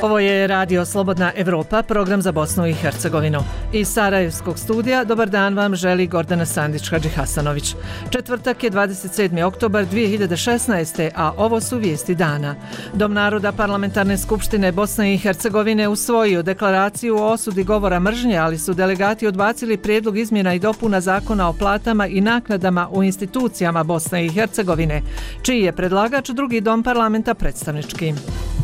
Ovo je Radio Slobodna Evropa, program za Bosnu i Hercegovinu. Iz Sarajevskog studija dobar dan vam želi Gordana Sandić-Hadžihasanović. Četvrtak je 27. oktobar 2016. a ovo su vijesti dana. Dom naroda Parlamentarne skupštine Bosne i Hercegovine usvojio deklaraciju o osudi govora mržnje, ali su delegati odbacili prijedlog izmjena i dopuna zakona o platama i naknadama u institucijama Bosne i Hercegovine, čiji je predlagač drugi dom parlamenta predstavnički.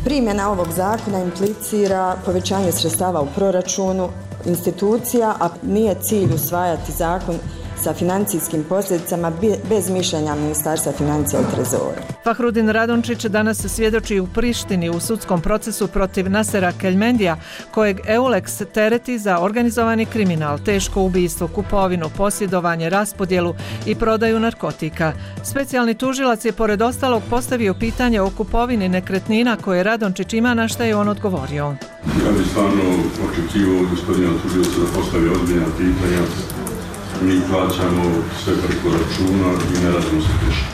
Primjena ovog zakona implicira povećanje sredstava u proračunu institucija, a nije cilj usvajati zakon sa financijskim posljedicama bez mišljenja Ministarstva financija i trezora. Fahrudin Radončić danas svjedoči u Prištini u sudskom procesu protiv Nasera Keljmendija, kojeg EULEX tereti za organizovani kriminal, teško ubistvo, kupovinu, posjedovanje, raspodjelu i prodaju narkotika. Specijalni tužilac je pored ostalog postavio pitanje o kupovini nekretnina koje Radončić ima, na što je on odgovorio. Ja bih stvarno očekivao gospodina tužioca da postavi ozbiljna pitanja. Mi plaćamo sve preko računa i ne radimo se teško.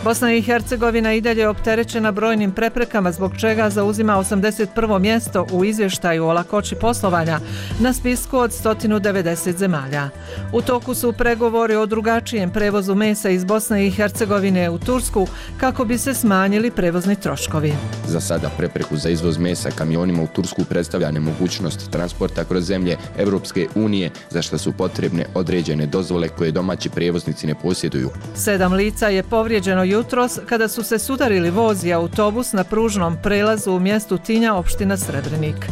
Bosna i Hercegovina i dalje opterećena brojnim preprekama, zbog čega zauzima 81. mjesto u izvještaju o lakoći poslovanja na spisku od 190 zemalja. U toku su pregovori o drugačijem prevozu mesa iz Bosne i Hercegovine u Tursku kako bi se smanjili prevozni troškovi. Za sada prepreku za izvoz mesa kamionima u Tursku predstavlja nemogućnost transporta kroz zemlje Evropske unije, za što su potrebne određene dozvole koje domaći prijevoznici ne posjeduju. 7 lica je povrijeđeno jutros kada su se sudarili voz i autobus na pružnom prelazu u mjestu Tinja, opština Srebrenik.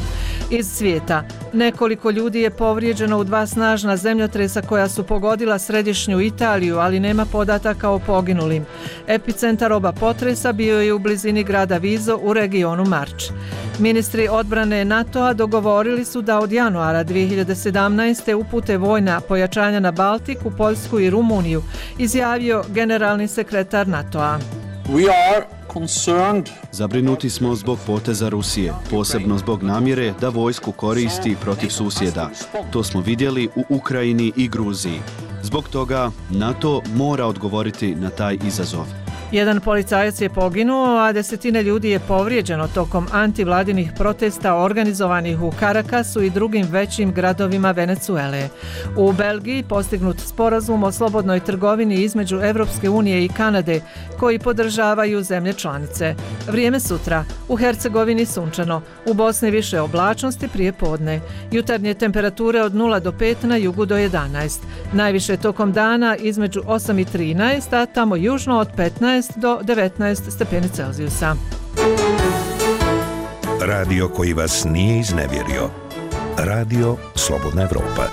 Iz svijeta, nekoliko ljudi je povrijeđeno u 2 snažna zemljotresa koja su pogodila središnju Italiju, ali nema podataka o poginulim. Epicentar oba potresa bio je u blizini grada Vizo u regionu Marč. Ministri odbrane NATO-a dogovorili su da od januara 2017. upute vojna pojačanja na Baltiku, Poljsku i Rumuniju, izjavio generalni sekretar NATO-a. Zabrinuti smo zbog poteza Rusije, posebno zbog namjere da vojsku koristi protiv susjeda. To smo vidjeli u Ukrajini i Gruziji. Zbog toga NATO mora odgovoriti na taj izazov. Jedan policajac je poginuo, a desetine ljudi je povrijeđeno tokom antivladinih protesta organizovanih u Karakasu i drugim većim gradovima Venezuele. U Belgiji postignut sporazum o slobodnoj trgovini između Evropske unije i Kanade, koji podržavaju zemlje članice. Vrijeme sutra. U Hercegovini sunčano, u Bosni više oblačnosti prije podne. Jutarnje temperature od 0 do 5, na jugu do 11. Najviše tokom dana između 8 i 13, a tamo južno od 15 do 19 stepeni Celzijusa. Radio koji vas nije iznevjerio. Radio Slobodna Evropa.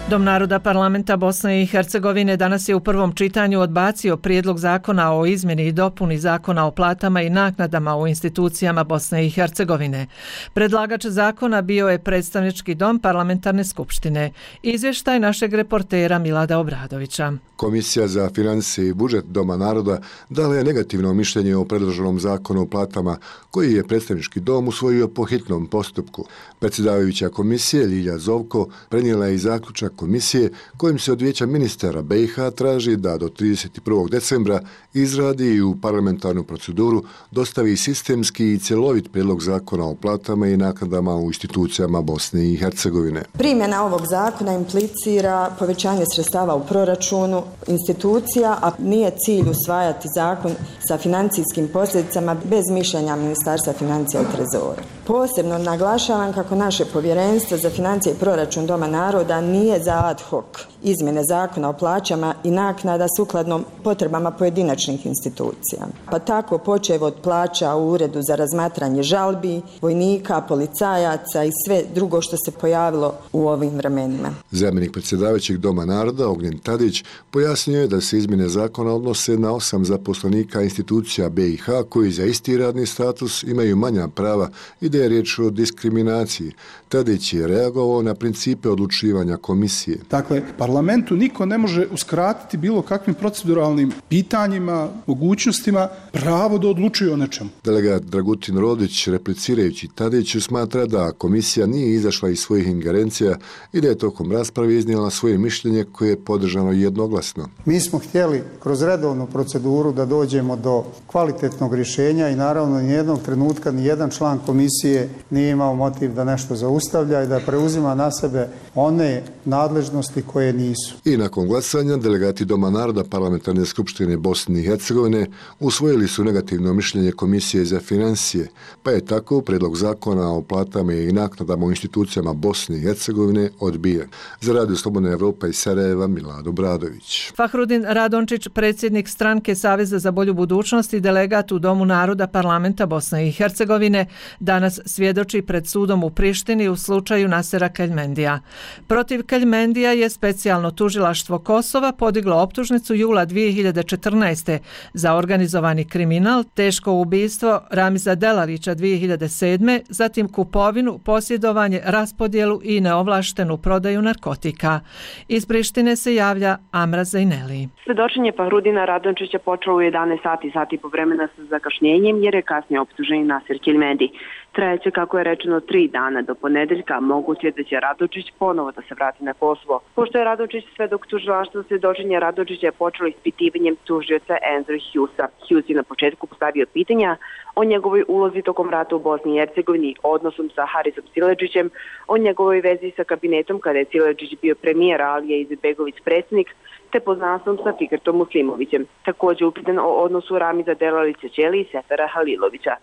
Dom naroda Parlamenta Bosne i Hercegovine danas je u prvom čitanju odbacio prijedlog zakona o izmjeni i dopuni zakona o platama i naknadama u institucijama Bosne i Hercegovine. Predlagač zakona bio je predstavnički dom Parlamentarne skupštine. Izvještaj našeg reportera Milada Obradovića. Komisija za financije i budžet Doma naroda dala je negativno mišljenje o predloženom zakonu o platama koji je predstavnički dom usvojio po hitnom postupku. Predsjedavajuća komisije Ljilja Zovko prenijela je i zaključak komisije kojim se od Vijeća ministara BiH traži da do 31. decembra izradi i u parlamentarnu proceduru dostavi sistemski i cjelovit prijedlog zakona o platama i naknadama u institucijama Bosne i Hercegovine. Primjena ovog zakona implicira povećanje sredstava u proračunu institucija, a nije cilj usvajati zakon sa financijskim posljedicama bez mišljenja Ministarstva financija i trezora. Posebno naglašavam kako naše povjerenstvo za financije i proračun Doma naroda nije za ad hoc izmjene zakona o plaćama i naknada sukladno potrebama pojedinačnih institucija. Pa tako počev od plaća u Uredu za razmatranje žalbi, vojnika, policajaca i sve drugo što se pojavilo u ovim vremenima. Zamjenik predsjedavajućeg Doma naroda Ognjen Tadić pojasnio je da se izmjene zakona odnose na 8 zaposlenika institucija BiH koji za isti radni status imaju manja prava i da je riječ o diskriminaciji. Tadić je reagovao na principe odlučivanja komisije. Dakle, parlamentu niko ne može uskratiti bilo kakvim proceduralnim pitanjima, mogućnostima pravo da odlučuje o nečemu. Delegat Dragutin Rodić, replicirajući Tadiću, smatra da komisija nije izašla iz svojih ingerencija i da je tokom rasprave iznijela svoje mišljenje koje je podržano jednoglasno. Mi smo htjeli kroz redovnu proceduru da dođemo do kvalitetnog rješenja i naravno nijednog trenutka nijedan član komisije nije imao motiv da nešto zaustavlja i da preuzima na sebe one nadležnosti koje nisu. I nakon glasanja delegati Doma naroda Parlamentarne skupštine Bosne i Hercegovine usvojili su negativno mišljenje Komisije za financije, pa je tako prijedlog zakona o platama i naknadama u institucijama Bosne i Hercegovine odbijen. Za Radio Slobodna Evropa iz Sarajeva, Milado Bradović. Fahrudin Radončić, predsjednik stranke Saveza za bolju budućnost i delegat u Domu naroda Parlamenta Bosne i Hercegovine, danas svjedoči pred sudom u Prištini u slučaju Nasera Keljmendija. Protiv Keljmendija je specijalno tužilaštvo Kosova podiglo optužnicu jula 2014. za organizovani kriminal, teško ubistvo Ramiza Delalića 2007. zatim kupovinu, posjedovanje, raspodjelu i neovlaštenu prodaju narkotika. Iz Prištine se javlja Amra Zajneli. Svedočenje Fahrudina Radončića počelo u 11 sati po vremena sa zakašnjenjem jer je kasnije optuženi Naser Keljmendi. Trajeće, kako je rečeno, 3 dana do ponedeljka, moguće da će Radončić ponovo da se vrati na Kosovo. Pošto je Radončić svedok tužilaštva, svedočenje Radončića je počelo ispitivanjem tužioca Andrew Hughesa. Hughes je na početku postavio pitanja o njegovoj ulozi tokom rata u Bosni i Hercegovini, odnosom sa Harisom Siledžićem, o njegovoj vezi sa kabinetom kada je Siledžić bio premijer, Alija Izetbegović predsjednik, te poznanstvom sa Fikretom Muslimovićem. Također upitan o odnosu Ramiza Delalića Ćeli i Sefera Halilovića.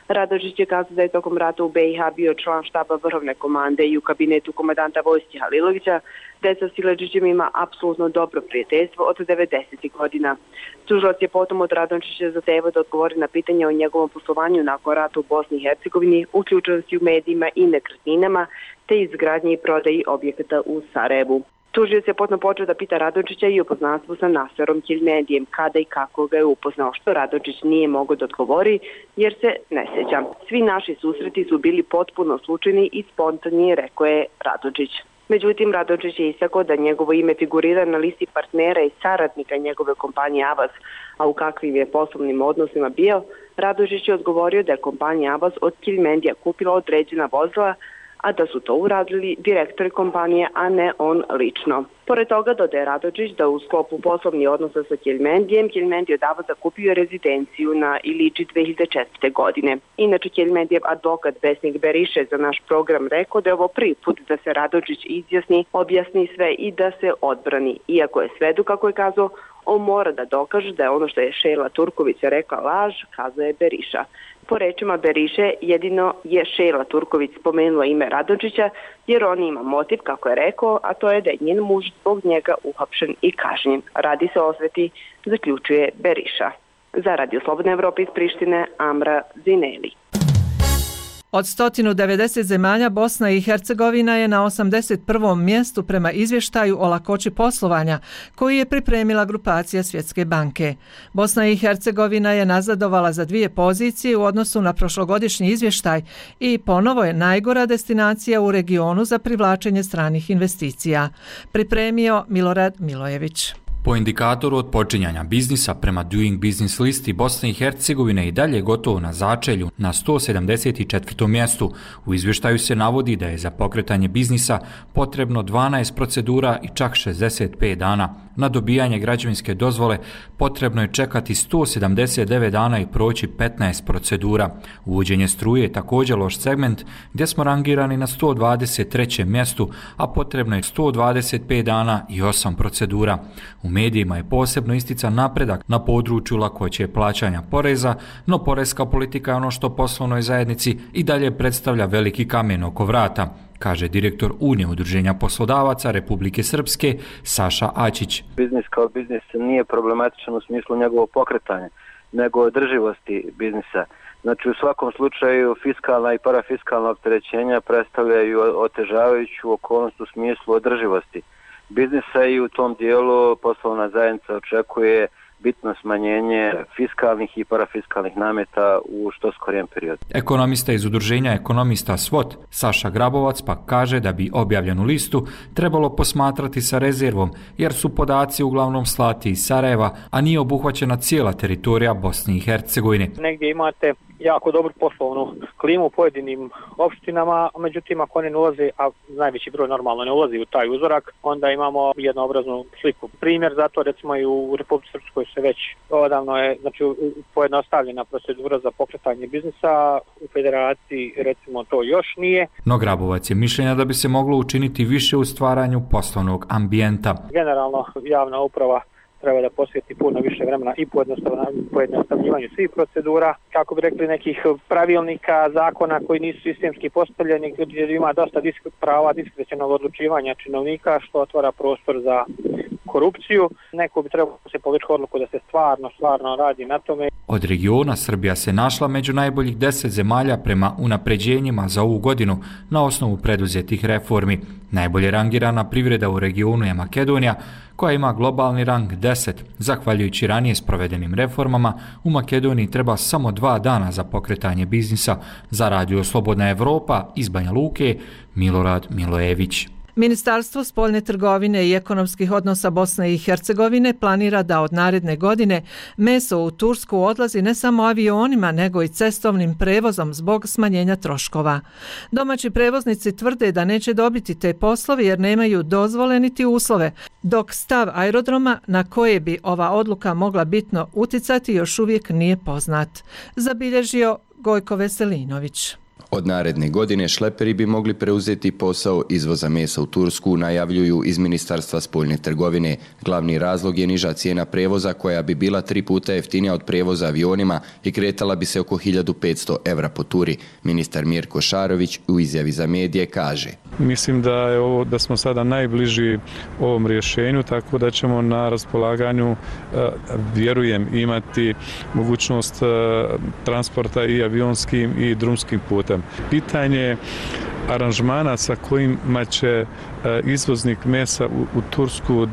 Radončić je kazao da je tokom rata u BiH bio član štaba vrhovne komande i u kabinetu komandanta vojske Halilovića, da je sa Siledžićem ima apsolutno dobro prijateljstvo od 90. godina. Tužilac je potom od Radončića zahtevao da odgovori na pitanje o njegovom poslovanju nakon rata u Bosni i Hercegovini, uključenosti u medijima i nekretninama, te izgradnji i prodaji objekata u Sarajevu. Tužioc je potom počeo da pita Radončića i o poznanstvu sa Naserom Keljmendijem, kada i kako ga je upoznao, što Radončić nije mogao da odgovori jer se ne sjeća. Svi naši susreti su bili potpuno slučajni i spontani, rekao je Radončić. Međutim, Radončić je istakao da njegovo ime figurira na listi partnera i saradnika njegove kompanije Avaz, a u kakvim je poslovnim odnosima bio, Radončić je odgovorio da je kompanija Avaz od Keljmendija kupila određena vozila, a da su to uradili direktori kompanije, a ne on lično. Pored toga dodaje Radončić da u sklopu poslovnih odnosa sa Keljmendijem, Keljmendi od Avaza kupio rezidenciju na Iliči 2004. godine. Inače, Keljmendijev advokat Besnik Beriše za naš program rekao da je ovo prvi put da se Radončić izjasni, objasni sve i da se odbrani. Iako je svedu, kako je kazao, on mora da dokaže da je ono što je Šejla Turković rekla laž, kazao je Beriša. Po rečima Beriše, jedino je Šejla Turković spomenula ime Radončića jer on ima motiv, kako je rekao, a to je da je njen muž zbog njega uhapšen i kažnjen. Radi se o osveti, zaključuje Beriša. Za Radio Slobodna Evropa iz Prištine, Amra Zineli. Od 190 zemalja Bosna i Hercegovina je na 81. mjestu prema izvještaju o lakoći poslovanja koji je pripremila grupacija Svjetske banke. Bosna i Hercegovina je nazadovala za 2 pozicije u odnosu na prošlogodišnji izvještaj i ponovo je najgora destinacija u regionu za privlačenje stranih investicija. Pripremio Milorad Milojević. Po indikatoru od počinjanja biznisa prema Doing Business listi Bosne i Hercegovine i dalje gotovo na začelju na 174. mjestu. U izvještaju se navodi da je za pokretanje biznisa potrebno 12 procedura i čak 65 dana. Na dobijanje građevinske dozvole potrebno je čekati 179 dana i proći 15 procedura. Uvođenje struje je također loš segment gdje smo rangirani na 123. mjestu, a potrebno je 125 dana i 8 procedura. U medijima je posebno istican napredak na području lakoće plaćanja poreza, no porezka politika je ono što poslovnoj zajednici i dalje predstavlja veliki kamen oko vrata, kaže direktor Unije udruženja poslodavaca Republike Srpske Saša Ačić. Biznis kao biznis nije problematičan u smislu njegovog pokretanja, nego održivosti biznisa. Znači, u svakom slučaju fiskalna i parafiskalna opterećenja predstavljaju otežavajuću okolnost u smislu održivosti biznisa i u tom dijelu poslovna zajednica očekuje bitno smanjenje fiskalnih i parafiskalnih nameta u što skorijem periodu. Ekonomista iz udruženja ekonomista SWOT, Saša Grabovac, pa kaže da bi objavljenu listu trebalo posmatrati sa rezervom, jer su podaci uglavnom slati iz Sarajeva, a nije obuhvaćena cijela teritorija Bosne i Hercegovine. Negdje imate jako dobru poslovnu klimu u pojedinim opštinama, međutim ako oni ne ulaze, a najveći broj normalno ne ulazi u taj uzorak, onda imamo jednoobraznu sliku. Primjer zato recimo i u Republici Srpskoj se već odavno je pojednostavljena procedura za pokretanje biznisa, u Federaciji recimo to još nije. No Grabovac je mišljenja da bi se moglo učiniti više u stvaranju poslovnog ambijenta. Generalno javna uprava treba da posveti puno više vremena i pojednostavljivanju svih procedura, kako bi rekli nekih pravilnika, zakona koji nisu sistemski postavljeni, gdje ima dosta prava diskrecionog odlučivanja činovnika, što otvara prostor za korupciju. Neko bi trebalo se povući odluku da se stvarno radi na tome. Od regiona Srbija se našla među najboljih 10 zemalja prema unapređenjima za ovu godinu na osnovu preduzetih reformi. Najbolje rangirana privreda u regionu je Makedonija, koja ima globalni rang 10. Zahvaljujući ranije sprovedenim reformama, u Makedoniji treba samo 2 dana za pokretanje biznisa. Za Radio Slobodna Evropa iz Banja Luke, Milorad Milojević. Ministarstvo spoljne trgovine i ekonomskih odnosa Bosne i Hercegovine planira da od naredne godine meso u Tursku odlazi ne samo avionima, nego i cestovnim prevozom zbog smanjenja troškova. Domaći prevoznici tvrde da neće dobiti te poslove jer nemaju dozvole niti uslove, dok stav aerodroma na koje bi ova odluka mogla bitno uticati još uvijek nije poznat, zabilježio Gojko Veselinović. Od naredne godine šleperi bi mogli preuzeti posao izvoza mesa u Tursku, najavljuju iz Ministarstva spoljne trgovine. Glavni razlog je niža cijena prevoza koja bi bila 3 puta jeftinija od prevoza avionima i kretala bi se oko 1500 € po turi. Ministar Mirko Šarović u izjavi za medije kaže: Mislim da smo sada najbliži ovom rješenju, tako da ćemo na raspolaganju, vjerujem, imati mogućnost transporta i avionskim i drumskim putem. Pitanje aranžmana sa kojima će izvoznik mesa u Tursku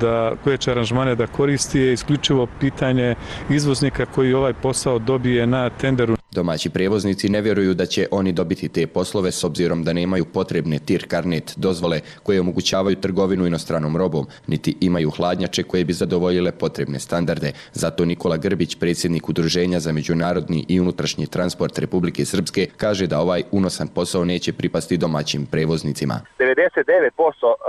koje će aranžmane da koristi je isključivo pitanje izvoznika koji ovaj posao dobije na tenderu. Domaći prevoznici ne vjeruju da će oni dobiti te poslove s obzirom da nemaju potrebne TIR karnet dozvole koje omogućavaju trgovinu inostranom robom, niti imaju hladnjače koje bi zadovoljile potrebne standarde. Zato Nikola Grbić, predsjednik Udruženja za međunarodni i unutrašnji transport Republike Srpske, kaže da ovaj unosan posao neće pripasti domaćim prevoznicima. 99%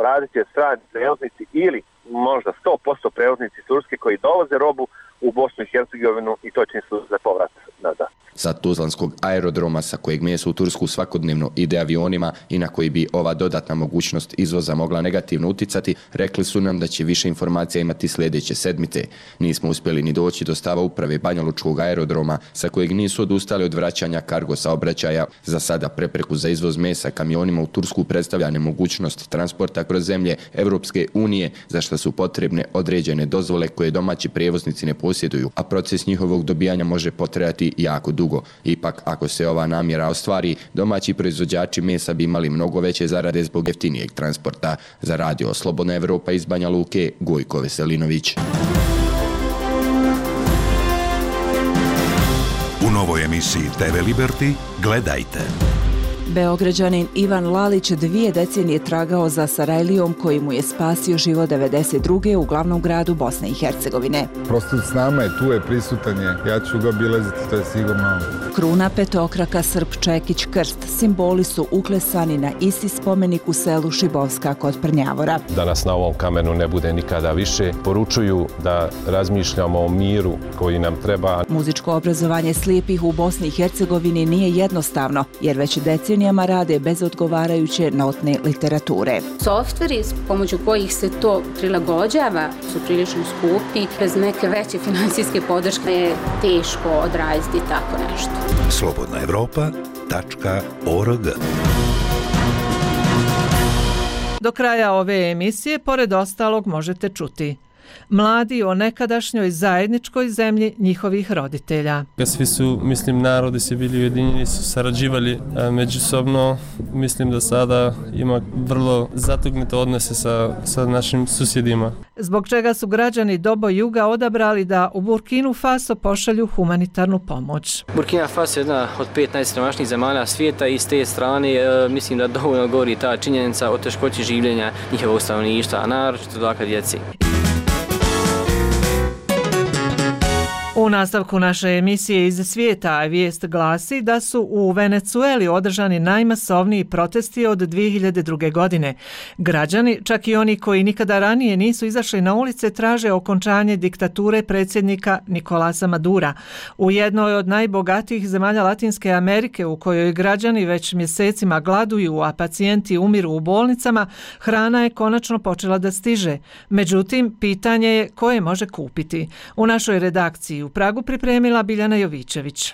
radit će strani prevoznici ili možda 100% prevoznici Turske koji dovoze robu u Bosnu i Hercegovinu i to će služiti za povrat nazad. Sa tuzlanskog aerodroma sa kojeg meso u Tursku svakodnevno ide avionima i na koji bi ova dodatna mogućnost izvoza mogla negativno uticati, rekli su nam da će više informacija imati sljedeće sedmice. Nismo uspjeli ni doći do stava uprave Banjalučkog aerodroma sa kojeg nisu odustali od vraćanja kargo saobraćaja. Za sada prepreku za izvoz mesa kamionima u Tursku predstavlja nemogućnost transporta kroz zemlje Evropske unije, za što su potrebne određene dozvole koje domaći prijevoznici ne posjeduju, a proces njihovog dobijanja može potrajati jako dugo. Ipak, ako se ova namjera ostvari, domaći proizvođači mesa bi imali mnogo veće zarade zbog jeftinijeg transporta. Za Radio Slobodna Evropa iz Banja Luke, Gojko Veselinović. U novoj emisiji TV Liberty gledajte. Beograđanin Ivan Lalić 2 decenije tragao za Sarajlijom koji mu je spasio život 92. u glavnom gradu Bosne i Hercegovine. Prosto s nama je, tu je, prisutan je, ja ću ga obilaziti, to je sigurno. Kruna, petokraka, srp, čekić, krst, simboli su uklesani na isti spomenik u selu Šibovska kod Prnjavora. Da nas na ovom kamenu ne bude nikada više, poručuju da razmišljamo o miru koji nam treba. Muzičko obrazovanje slijepih u Bosni i Hercegovini nije jednostavno, jer već decenijama rade bez odgovarajuće notne literature. Softveri s pomoću kojih se to prilagođava su prilično skupi. Bez neke veće financijske podrške je teško odraditi tako nešto. slobodnaevropa.org. Do kraja ove emisije, pored ostalog, možete čuti: Mladi o nekadašnjoj zajedničkoj zemlji njihovih roditelja. Svi su, narodi se bili ujedinjeni, su sarađivali međusobno. Mislim da sada ima vrlo zatugnute odnose sa našim susjedima. Zbog čega su građani Dobo Juga odabrali da u Burkinu Faso pošalju humanitarnu pomoć. Burkina Faso je jedna od 5 najsiromašnijih zemalja svijeta i s te strane mislim da dovoljno govori ta činjenica o teškoći življenja njihovog stanovništva, a naročito dakle djeci. U nastavku naše emisije iz svijeta vijest glasi da su u Venecueli održani najmasovniji protesti od 2002. godine. Građani, čak i oni koji nikada ranije nisu izašli na ulice, traže okončanje diktature predsjednika Nicolasa Madura. U jednoj od najbogatijih zemalja Latinske Amerike, u kojoj građani već mjesecima gladuju, a pacijenti umiru u bolnicama, hrana je konačno počela da stiže. Međutim, pitanje je ko je može kupiti. U našoj redakciji u Pragu pripremila Biljana Jovičević.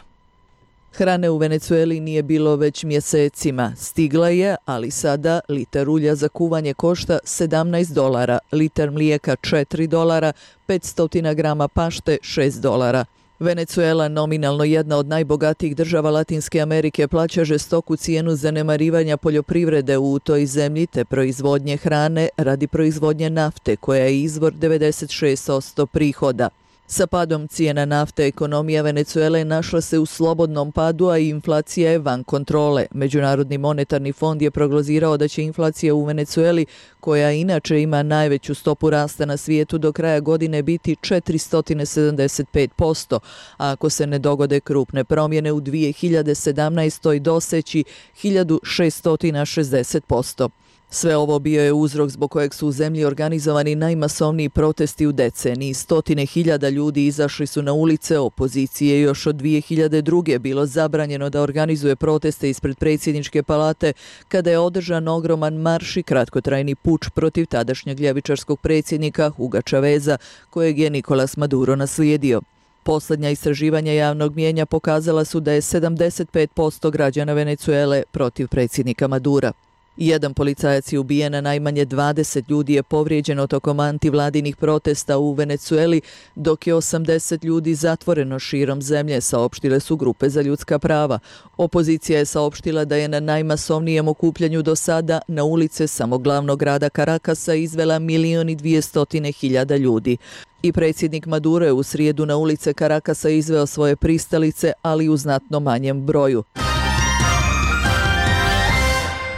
Hrane u Venecueli nije bilo već mjesecima. Stigla je, ali sada litar ulja za kuvanje košta $17, litar mlijeka $4, 500 grama pašte $6. Venecuela, nominalno jedna od najbogatijih država Latinske Amerike, plaća žestoku cijenu zanemarivanja poljoprivrede u toj zemlji te proizvodnje hrane radi proizvodnje nafte, koja je izvor 96% prihoda. Sa padom cijena nafte ekonomija Venecuele našla se u slobodnom padu, a inflacija je van kontrole. Međunarodni monetarni fond je prognozirao da će inflacija u Venecueli, koja inače ima najveću stopu rasta na svijetu, do kraja godine biti 475%, a ako se ne dogode krupne promjene u 2017. doseći 1660%. Sve ovo bio je uzrok zbog kojeg su u zemlji organizovani najmasovniji protesti u deceniji. 100.000 ljudi izašli su na ulice, opozicije još od 2002. bilo zabranjeno da organizuje proteste ispred predsjedničke palate kada je održan ogroman marš i kratkotrajni puč protiv tadašnjeg ljevičarskog predsjednika Huga Chaveza, kojeg je Nicolás Maduro naslijedio. Posljednja istraživanja javnog mnijenja pokazala su da je 75% građana Venecuele protiv predsjednika Madura. Jedan policajac je ubijen, a najmanje 20 ljudi je povrijeđeno tokom antivladinih protesta u Venecueli, dok je 80 ljudi zatvoreno širom zemlje, saopštile su grupe za ljudska prava. Opozicija je saopštila da je na najmasovnijem okupljanju do sada na ulice samo glavnog grada Caracasa izvela 1.200.000 ljudi. I predsjednik Maduro je u srijedu na ulice Caracasa izveo svoje pristalice, ali u znatno manjem broju.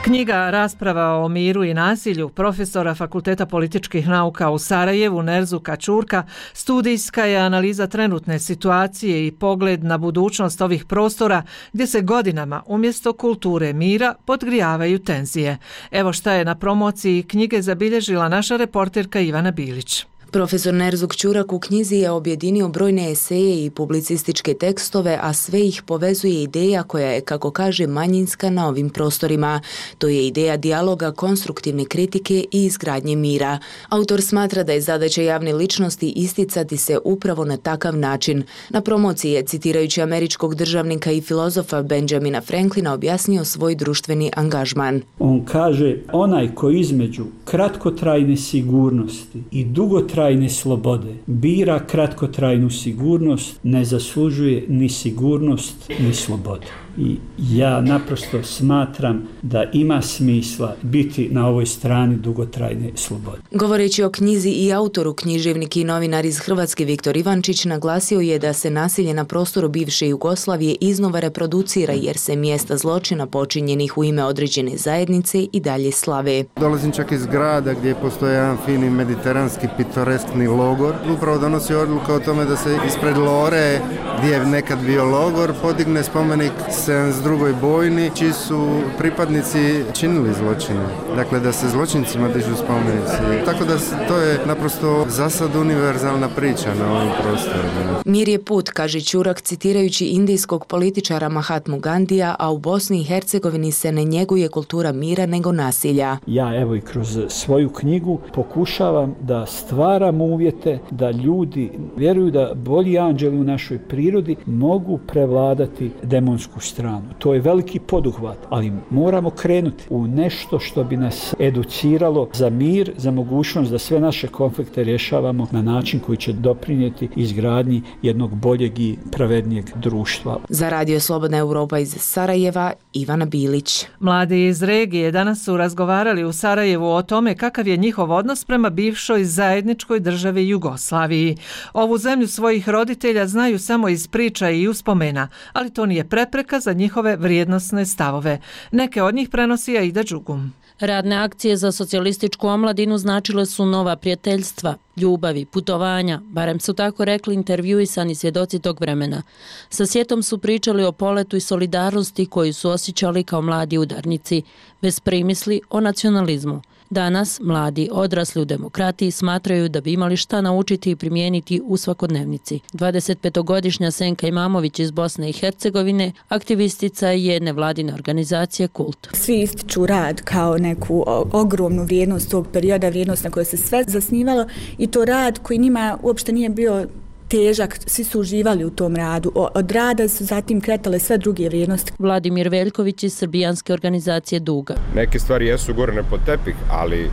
Knjiga Rasprava o miru i nasilju profesora Fakulteta političkih nauka u Sarajevu Nerzuka Ćurka studijska je analiza trenutne situacije i pogled na budućnost ovih prostora gdje se godinama umjesto kulture mira podgrijavaju tenzije. Evo šta je na promociji knjige zabilježila naša reporterka Ivana Bilić. Profesor Nerzuk Ćurak u knjizi je objedinio brojne eseje i publicističke tekstove, a sve ih povezuje ideja koja je, kako kaže, manjinska na ovim prostorima. To je ideja dijaloga, konstruktivne kritike i izgradnje mira. Autor smatra da je zadaća javne ličnosti isticati se upravo na takav način. Na promociji je, citirajući američkog državnika i filozofa Benjamina Franklina, objasnio svoj društveni angažman. On kaže, onaj koji između kratkotrajne sigurnosti i dugotrajne slobode bira kratkotrajnu sigurnost, ne zaslužuje ni sigurnost ni slobodu. I ja naprosto smatram da ima smisla biti na ovoj strani dugotrajne slobode. Govoreći o knjizi i autoru, književnik i novinar iz Hrvatske Viktor Ivančić naglasio je da se nasilje na prostoru bivše Jugoslavije iznova reproducira jer se mjesta zločina počinjenih u ime određene zajednice i dalje slave. Dolazim čak iz grada gdje postoje jedan fini mediteranski pitoreskni logor. Upravo donosi odluka o tome da se ispred Lore, gdje je nekad bio logor, podigne spomenik 72. bojni, čiji su pripadnici činili zločine. Dakle, da se zločincima dižu spomenici. Tako da to je naprosto zasad univerzalna priča na ovim prostorima. Mir je put, kaže Ćurak, citirajući indijskog političara Mahatmu Gandija, a u Bosni i Hercegovini se ne njeguje kultura mira nego nasilja. Ja evo i kroz svoju knjigu pokušavam da stvaram uvjete da ljudi vjeruju da bolji anđeli u našoj prirodi mogu prevladati demonsku stranu. To je veliki poduhvat, ali moramo krenuti u nešto što bi nas educiralo za mir, za mogućnost da sve naše konflikte rješavamo na način koji će doprinijeti izgradnji jednog boljeg i pravednijeg društva. Za Radio Slobodna Europa iz Sarajeva, Ivana Bilić. Mladi iz regije danas su razgovarali u Sarajevu o tome kakav je njihov odnos prema bivšoj zajedničkoj državi Jugoslaviji. Ovu zemlju svojih roditelja znaju samo iz priča i uspomena, ali to nije prepreka za njihove vrijednosne stavove. Neke od njih prenosi Aida Đugum. Radne akcije za socijalističku omladinu značile su nova prijateljstva, ljubavi, putovanja, barem su tako rekli intervjuisani svjedoci tog vremena. Sa sjetom su pričali o poletu i solidarnosti koju su osjećali kao mladi udarnici, bez primisli o nacionalizmu. Danas mladi odrasli u demokratiji smatraju da bi imali šta naučiti i primijeniti u svakodnevnici. 25-godišnja Senka Imamović iz Bosne i Hercegovine aktivistica je jedne vladine organizacije Kult. Svi ističu rad kao neku ogromnu vrijednost tog perioda, vrijednost na kojoj se sve zasnivalo i to rad koji njima uopšte nije bio težak, svi su uživali u tom radu. Od rada su zatim kretale sve druge vrijednosti. Vladimir Veljković iz srbijanske organizacije Duga. Neke stvari jesu gorene pod tepih, ali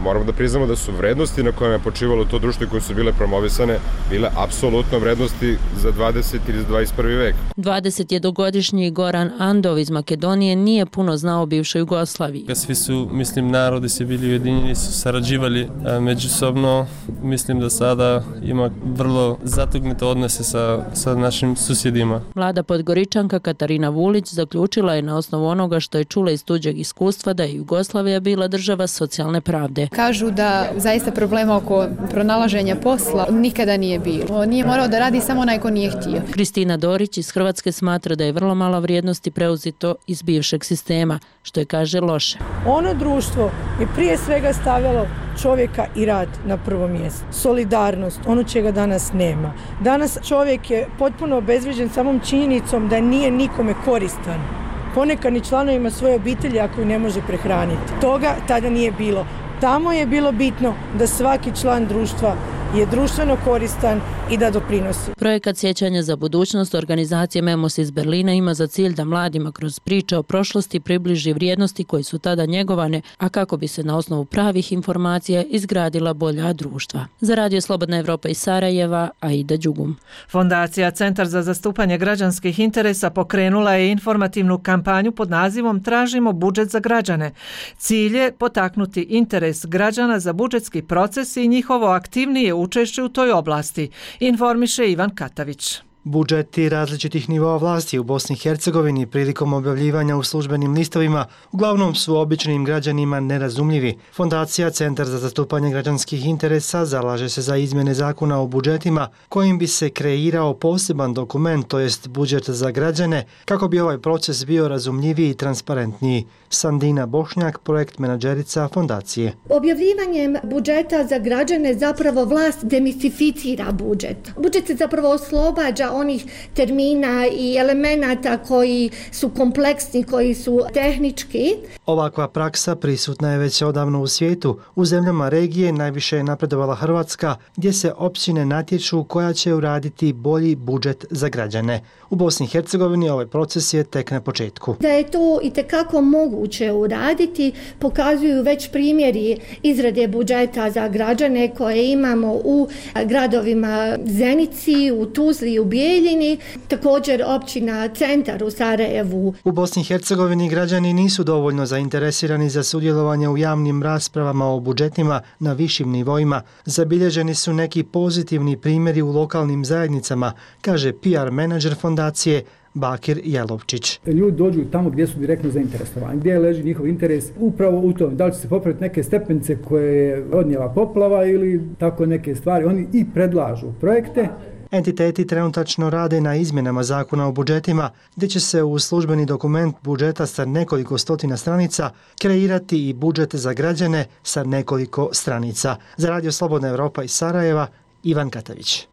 moramo da priznamo da su vrednosti na kojima je počivalo to društvo koje su bile promovisane bile apsolutno vrednosti za 20. ili 21. vek. 21-godišnji Goran Andov iz Makedonije nije puno znao o bivšoj Jugoslaviji. Svi su, narodi se bili ujedinjeni, su sarađivali međusobno. Mislim da sada ima vrlo zatugnute odnose sa našim susjedima. Mlada Podgoričanka Katarina Vulić zaključila je na osnovu onoga što je čula iz tuđeg iskustva da je Jugoslavija bila država socijalne pravde. Kažu da zaista problema oko pronalaženja posla nikada nije bilo. Nije morao da radi samo onaj ko nije htio. Kristina Dorić iz Hrvatske smatra da je vrlo malo vrijednosti preuzito iz bivšeg sistema, što je, kaže, loše. Ono društvo je prije svega stavljalo čovjeka i rad na prvo mjesto. Solidarnost, ono čega danas nema. Danas čovjek je potpuno obezvrijeđen samom činjenicom da nije nikome koristan. Ponekad ni članovima svoje obitelji ako ih ne može prehraniti. Toga tada nije bilo. Tamo je bilo bitno da svaki član društva je društveno koristan i da doprinosi. Projekat Sjećanja za budućnost organizacije Memos iz Berlina ima za cilj da mladima kroz priče o prošlosti približi vrijednosti koje su tada njegovane, a kako bi se na osnovu pravih informacija izgradila bolja društva. Za Radio Slobodna Evropa iz Sarajeva, Aida Đugum. Fondacija Centar za zastupanje građanskih interesa pokrenula je informativnu kampanju pod nazivom Tražimo budžet za građane. Cilj je potaknuti interes građana za budžetski proces i njihovo aktivnije učešće u toj oblasti, informiše Ivan Katavić. Budžeti različitih nivoa vlasti u Bosni i Hercegovini prilikom objavljivanja u službenim listovima uglavnom su običnim građanima nerazumljivi. Fondacija Centar za zastupanje građanskih interesa zalaže se za izmjene zakona o budžetima kojim bi se kreirao poseban dokument, to jest budžet za građane, kako bi ovaj proces bio razumljiviji i transparentniji. Sandina Bošnjak, projekt menadžerica fondacije. Objavljivanjem budžeta za građane zapravo vlast demistificira budžet. Budžet se zapravo oslobađa onih termina i elemenata koji su kompleksni, koji su tehnički. Ovakva praksa prisutna je već odavno u svijetu. U zemljama regije najviše je napredovala Hrvatska, gdje se općine natječu koja će uraditi bolji budžet za građane. U Bosni i Hercegovini ovaj proces je tek na početku. Da je to itekako moguće uraditi, pokazuju već primjeri izrade budžeta za građane koje imamo u gradovima Zenici, u Tuzli i u Bijeljini, također općina Centar u Sarajevu. U Bosni i Hercegovini građani nisu dovoljno zainteresirani za sudjelovanje u javnim raspravama o budžetima na višim nivoima. Zabilježeni su neki pozitivni primjeri u lokalnim zajednicama, kaže PR menadžer fondacije Bakir Jelovčić. Ljudi dođu tamo gdje su direktno zainteresovani, gdje leži njihov interes upravo u tom, da li će se popraviti neke stepenice koje je odnijela poplava ili tako neke stvari. Oni i predlažu projekte. Entiteti trenutačno rade na izmjenama zakona o budžetima, gdje će se u službeni dokument budžeta sa nekoliko stotina stranica kreirati i budžet za građane sa nekoliko stranica. Za Radio Slobodna Evropa iz Sarajeva, Ivan Katavić.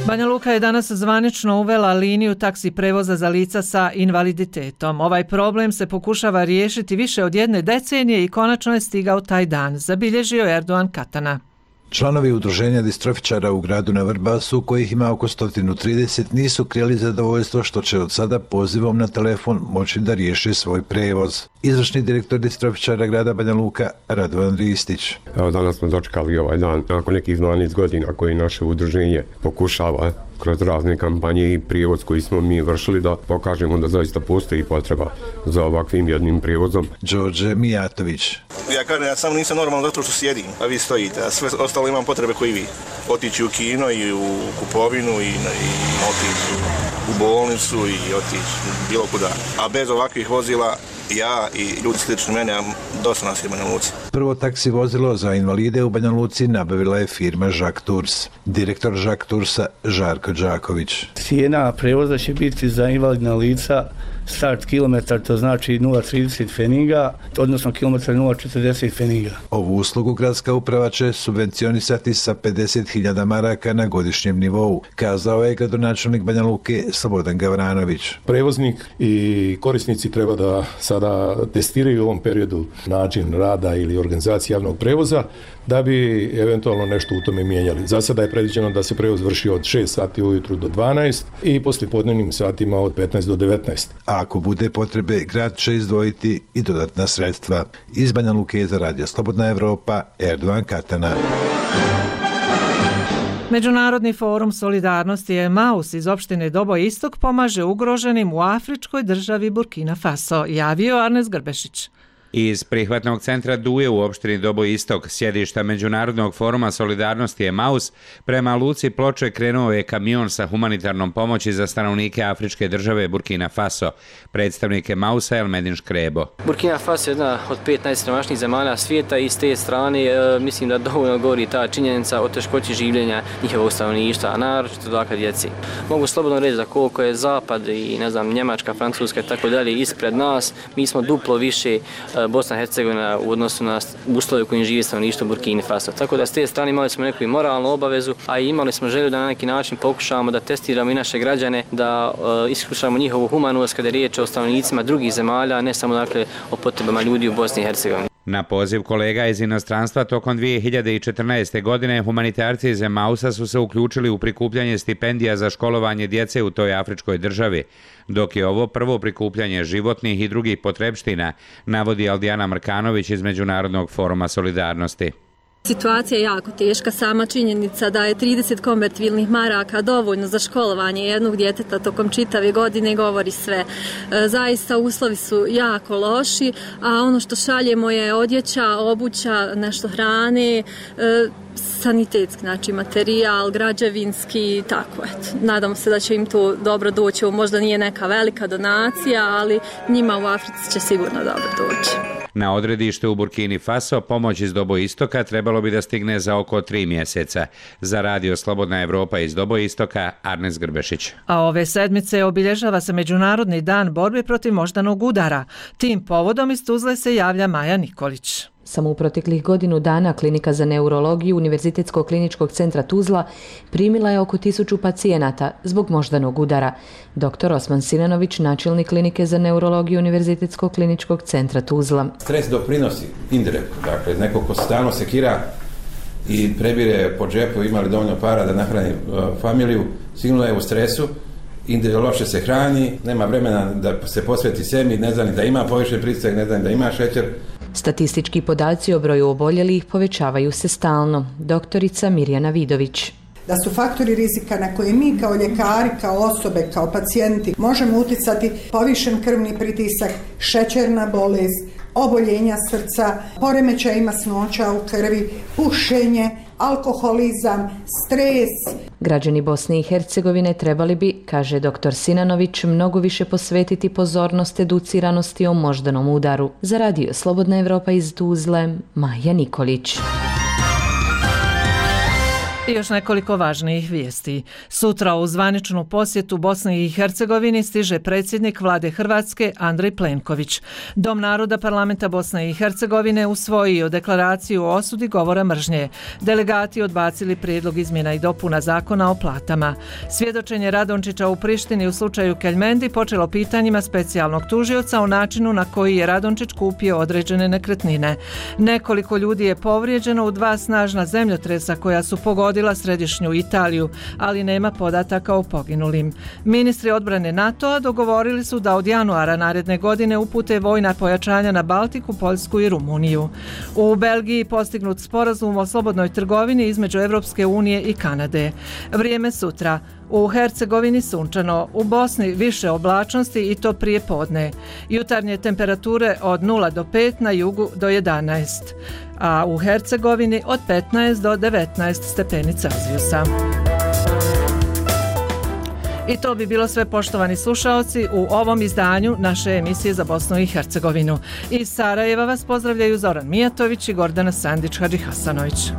Banja Luka je danas zvanično uvela liniju taksi prevoza za lica sa invaliditetom. Ovaj problem se pokušava riješiti više od 1 decenije i konačno je stigao taj dan, zabilježio Erdogan Katana. Članovi udruženja distrofičara u gradu na Vrbasu, kojih ima oko 130, nisu krili zadovoljstvo što će od sada pozivom na telefon moći da riješe svoj prevoz. Izvršni direktor distrofičara grada Banja Luka, Radovan Ristić. Evo, danas smo dočekali ovaj dan nakon nekih 12 godina koji naše udruženje pokušava kroz razne kampanje i prijevoz koji smo mi vršili da pokažemo da zaista postoji potreba za ovakvim jednim prijevozom. Đorđe Mijatović. Ja kažem, ja samo nisam normalno zato što sjedim, a vi stojite, a sve ostalo imam potrebe koji vi. Otići u kino i u kupovinu i otići u bolnicu i otići bilo kuda. A bez ovakvih vozila ja i ljudi slični mene, dosta nas je u Banja Luci. Prvo taksi vozilo za invalide u Banja Luci nabavila je firma Jacques Tours. Direktor Jacques Toursa Žarko Đaković. Cijena prevoza će biti za invalidna lica start kilometar, to znači 0,30 feninga, odnosno kilometar 0,40 feninga. Ovu uslugu gradska uprava će subvencionisati sa 50.000 maraka na godišnjem nivou, kazao je gradonačelnik Banja Luke Slobodan Gavranović. Prevoznik i korisnici treba da sada testiraju u ovom periodu način rada ili organizacije javnog prevoza da bi eventualno nešto u tome mijenjali. Za sada je predviđeno da se prevoz vrši od 6 sati ujutru do 12 i poslijepodnevnim satima od 15 do 19. A ako bude potrebe, grad će izdvojiti i dodatna sredstva. Iz Banja Luke za Radio Slobodna Evropa, Erdovan Katana. Međunarodni forum solidarnosti Emaus iz opštine Dobo Istok pomaže ugroženim u afričkoj državi Burkina Faso, javio Arnes Grbešić. Iz prihvatnog centra Duje u opštini Dobo Istok, sjedišta Međunarodnog foruma solidarnosti Emaus, prema luci Ploče krenuo je kamion sa humanitarnom pomoći za stanovnike afričke države Burkina Faso. Predstavnik Emausa Elmedin Škrebo. Burkina Faso je jedna od 5 najsiromašnijih zemalja svijeta i s te strane mislim da dovoljno govori ta činjenica o teškoći življenja njihovog stanovništva, a naročito dakle djeci. Mogu slobodno reći da koliko je Zapad i Njemačka, Francuska i tako dalje ispred nas, mi smo duplo više Bosna i Hercegovina u odnosu na uslove u kojim živi stanovništvo Burkina Faso. Tako da s te strane imali smo neku moralnu obavezu, a i imali smo želju da na neki način pokušavamo da testiramo i naše građane, da iskušamo njihovu humanost kada je riječ o stanovnicima drugih zemalja, a ne samo dakle o potrebama ljudi u Bosni i Hercegovini. Na poziv kolega iz inostranstva tokom 2014. godine humanitarci iz Emausa su se uključili u prikupljanje stipendija za školovanje djece u toj afričkoj državi, dok je ovo prvo prikupljanje životnih i drugih potrebština, navodi Aldijana Mrkanović iz Međunarodnog foruma solidarnosti. Situacija je jako teška, sama činjenica da je 30 konvertibilnih maraka dovoljno za školovanje jednog djeteta tokom čitave godine govori sve. Zaista uslovi su jako loši, a ono što šaljemo je odjeća, obuća, nešto hrane, sanitetski, znači materijal, građevinski, tako eto. Nadamo se da će im to dobro doći, možda nije neka velika donacija, ali njima u Africi će sigurno dobro doći. Na odredište u Burkini Faso pomoć iz Dobo Istoka trebalo bi da stigne za oko 3 mjeseca. Za Radio Slobodna Evropa iz Dobo Istoka, Arnes Grbešić. A ove sedmice obilježava se Međunarodni dan borbe protiv moždanog udara. Tim povodom iz Tuzle se javlja Maja Nikolić. Samo u proteklih godinu dana Klinika za neurologiju Univerzitetskog kliničkog centra Tuzla primila je oko 1000 pacijenata zbog moždanog udara. Dr. Osman Sinanović, načelnik Klinike za neurologiju Univerzitetskog kliničkog centra Tuzla. Stres doprinosi indirektno, dakle neko ko stalno sekira i prebire po džepu, ima li dovoljno para da nahrani familiju, sigurno je u stresu, loše se hrani, nema vremena da se posveti sebi, ne zna ni da ima povišen pritisak, ne zna ni da ima šećer. Statistički podaci o broju oboljelih povećavaju se stalno. Doktorica Mirjana Vidović. Da su faktori rizika na koje mi kao ljekari, kao osobe, kao pacijenti možemo utjecati povišen krvni pritisak, šećerna bolest, oboljenja srca, poremećaj masnoća u krvi, pušenje, alkoholizam, stres. Građani Bosne i Hercegovine trebali bi, kaže dr. Sinanović, mnogo više posvetiti pozornost educiranosti o moždanom udaru. Za Radio Slobodna Evropa iz Tuzle, Maja Nikolić. I još nekoliko važnijih vijesti. Sutra u zvaničnu posjetu Bosni i Hercegovini stiže predsjednik vlade Hrvatske Andrej Plenković. Dom naroda parlamenta Bosne i Hercegovine usvojio deklaraciju o osudi govora mržnje. Delegati odbacili prijedlog izmjena i dopuna zakona o platama. Svjedočenje Radončića u Prištini u slučaju Keljmendi počelo pitanjima specijalnog tužioca o načinu na koji je Radončić kupio određene nekretnine. Nekoliko ljudi je povrijeđeno u 2 snažna zemljotresa koja su pogodila središnju Italiju, ali nema podataka o poginulim. Ministri odbrane NATO-a dogovorili su da od januara naredne godine upute vojna pojačanja na Baltiku, Poljsku i Rumuniju. U Belgiji postignut sporazum o slobodnoj trgovini između Europske unije i Kanade. Vrijeme sutra. U Hercegovini sunčano, u Bosni više oblačnosti i to prije podne. Jutarnje temperature od 0 do 5, na jugu do 11, a u Hercegovini od 15 do 19 stepeni Celzijusa. I to bi bilo sve, poštovani slušaoci, u ovom izdanju naše emisije za Bosnu i Hercegovinu. Iz Sarajeva vas pozdravljaju Zoran Mijatović i Gordana Sandić-Hadžihasanović.